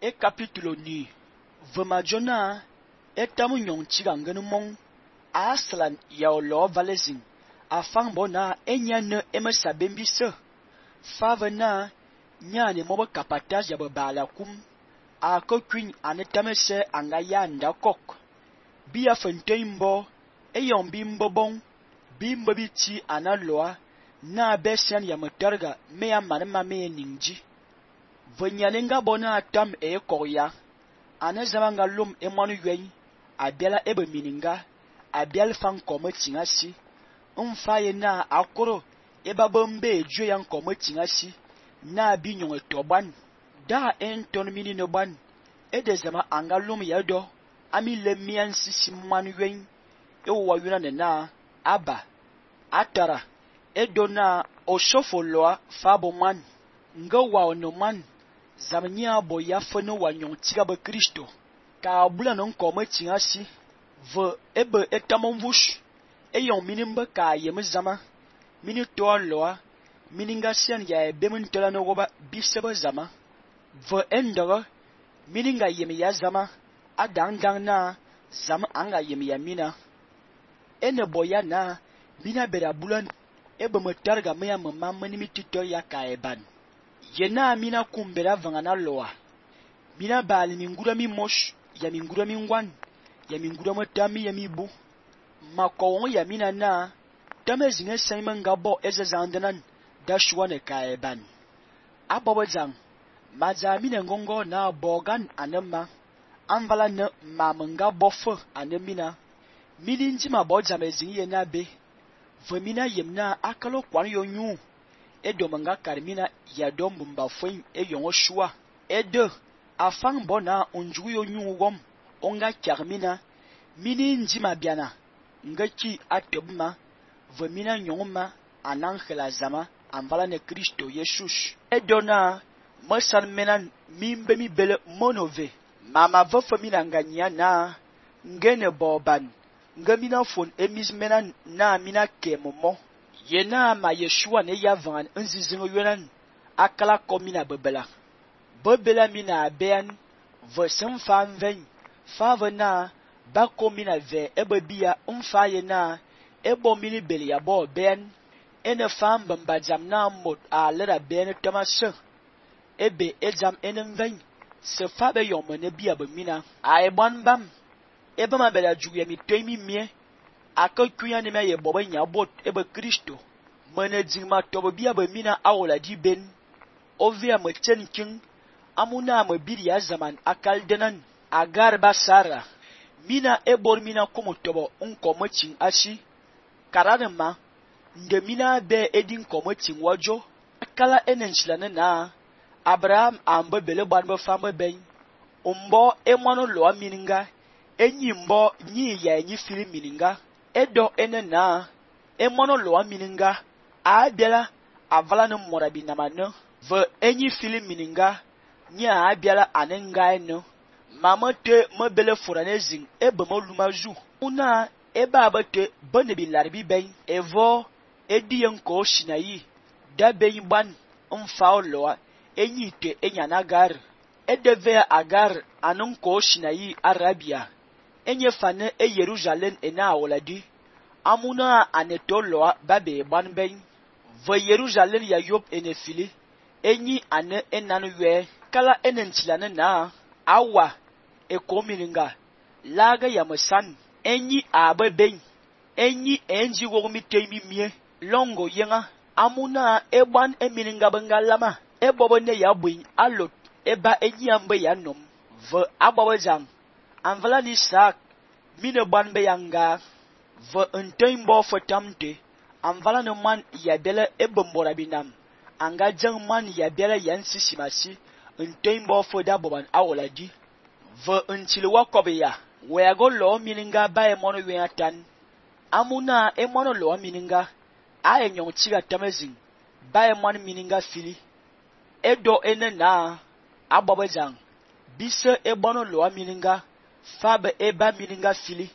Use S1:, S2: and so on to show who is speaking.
S1: e capítulo ni vema jona e tamu nyong chiga ngene mong aslan ya lo valezing afang bona enyane emesa bembise favena nyane mobo kapatas ya bala kum a ko kwin anetamese anga ya ndakok biya fenteimbo eyon bimbo bon bimbo biti analoa na besian ya mutarga me ya manema me ningji venyalenga bona tam e koya anazama ngalum e manu ywen abiala ebe mininga abial fan kome tingasi mfaye na akoro eba bombe jo yan kome tingasi na binyon toban da enton mini no ban edezama angalum yado ami lemian sisi manu ywen e wayuna na aba atara edona osofoloa fabo man nga wa no man zamnya boya fene wanyon tiga be Kristo ka bula non kome tingasi ve ebe etamon vush eyon minimbe ka yeme zama mini to loa mininga sian ya bemun tola no goba bisebe zama ve endere mininga yeme ya zama adang na zama anga yeme ya mina ene boya na mina bera bulan ebe metarga me ya mama manimi tito ya ka eban yena mina kumbera vangana loa mina bali mingura mi mosh ya mingura mi ngwan ya mingura matami ya mibu makowon ya mina na tamezinge saiman gabo ezazandanan dashwane kaeban abobazang mazamina ngongo na bogan anema anvala na mamanga bofo anemina milinji mabodza mezinye na be vemina yemna akalo kwan yonyu edomanga karmina ya dombumba fwen eyongo shua ede afang bona unju yonyu wom onga karmina mini njima biana ngaki atobma vemina nyongma anankela zama anvala ne Kristo Yesus edona masan menan mimbe mi bele monove mama vofamina nganya na ngene boban ngamina fon emis menan na mina kemomo yena ma Yeshua ne yavan nzizingo yonan akala komina bebela mina ben vosem fanven favena ba komina ve ebebia umfaye na ebo mini beli ya bo ben ene fam bambajam na mot a lera ben tamase ebe ejam enenven se fabe yomene bia be mina a ebon bam ebe ma bela juye mi temi mie akakuya ne me ye bobo nya bot ebe Kristo mene jingma tobo bia be mina awola di ben ovia me chenkin amuna me biri ya zaman akaldenan agar basara mina ebor mina komo tobo unkomo chin ashi karanema nde mina be edin komo chin wajo akala enenchilane na Abraham ambe bele banbe fambe ben umbo emono loa mininga enyi mbo nyi ya enyi fili mininga edo enena emono loa mininga abiala avala no morabi namano ve enyi fili mininga nya abiala anenga eno mama te mebele foranezing ebe molumaju una eba abate bonebi larbi ben evo ediyen ko shinayi da ben ban mfao loa enyi te enyanagar edeve agar anun ko shinayi arabia enye fane e Jerusalem ena awoladi amuna anetoloa babe ban ben ve Jerusalem ya yop enefili enyi ane enanu we kala enentilane na awa ekomininga laga ya masan enyi abe ben enyi enji wogmi temi mie longo yenga amuna eban emininga bengalama ebobo ne ya buin alot eba enyi ambe ya nom ve abawazang anvala ni sak mine ban be yanga ve entembo fotamte anvala no man ya bele ebombora binam anga jang man ya bele yansi simasi entembo foda boban awoladi ve entile wakobeya weago lo mininga ba e mono weatan amuna e mono lo mininga a enyon tiga tamezing ba e mono mininga fili edo enena ababazang bise e bono lo mininga fabe eba mininga fili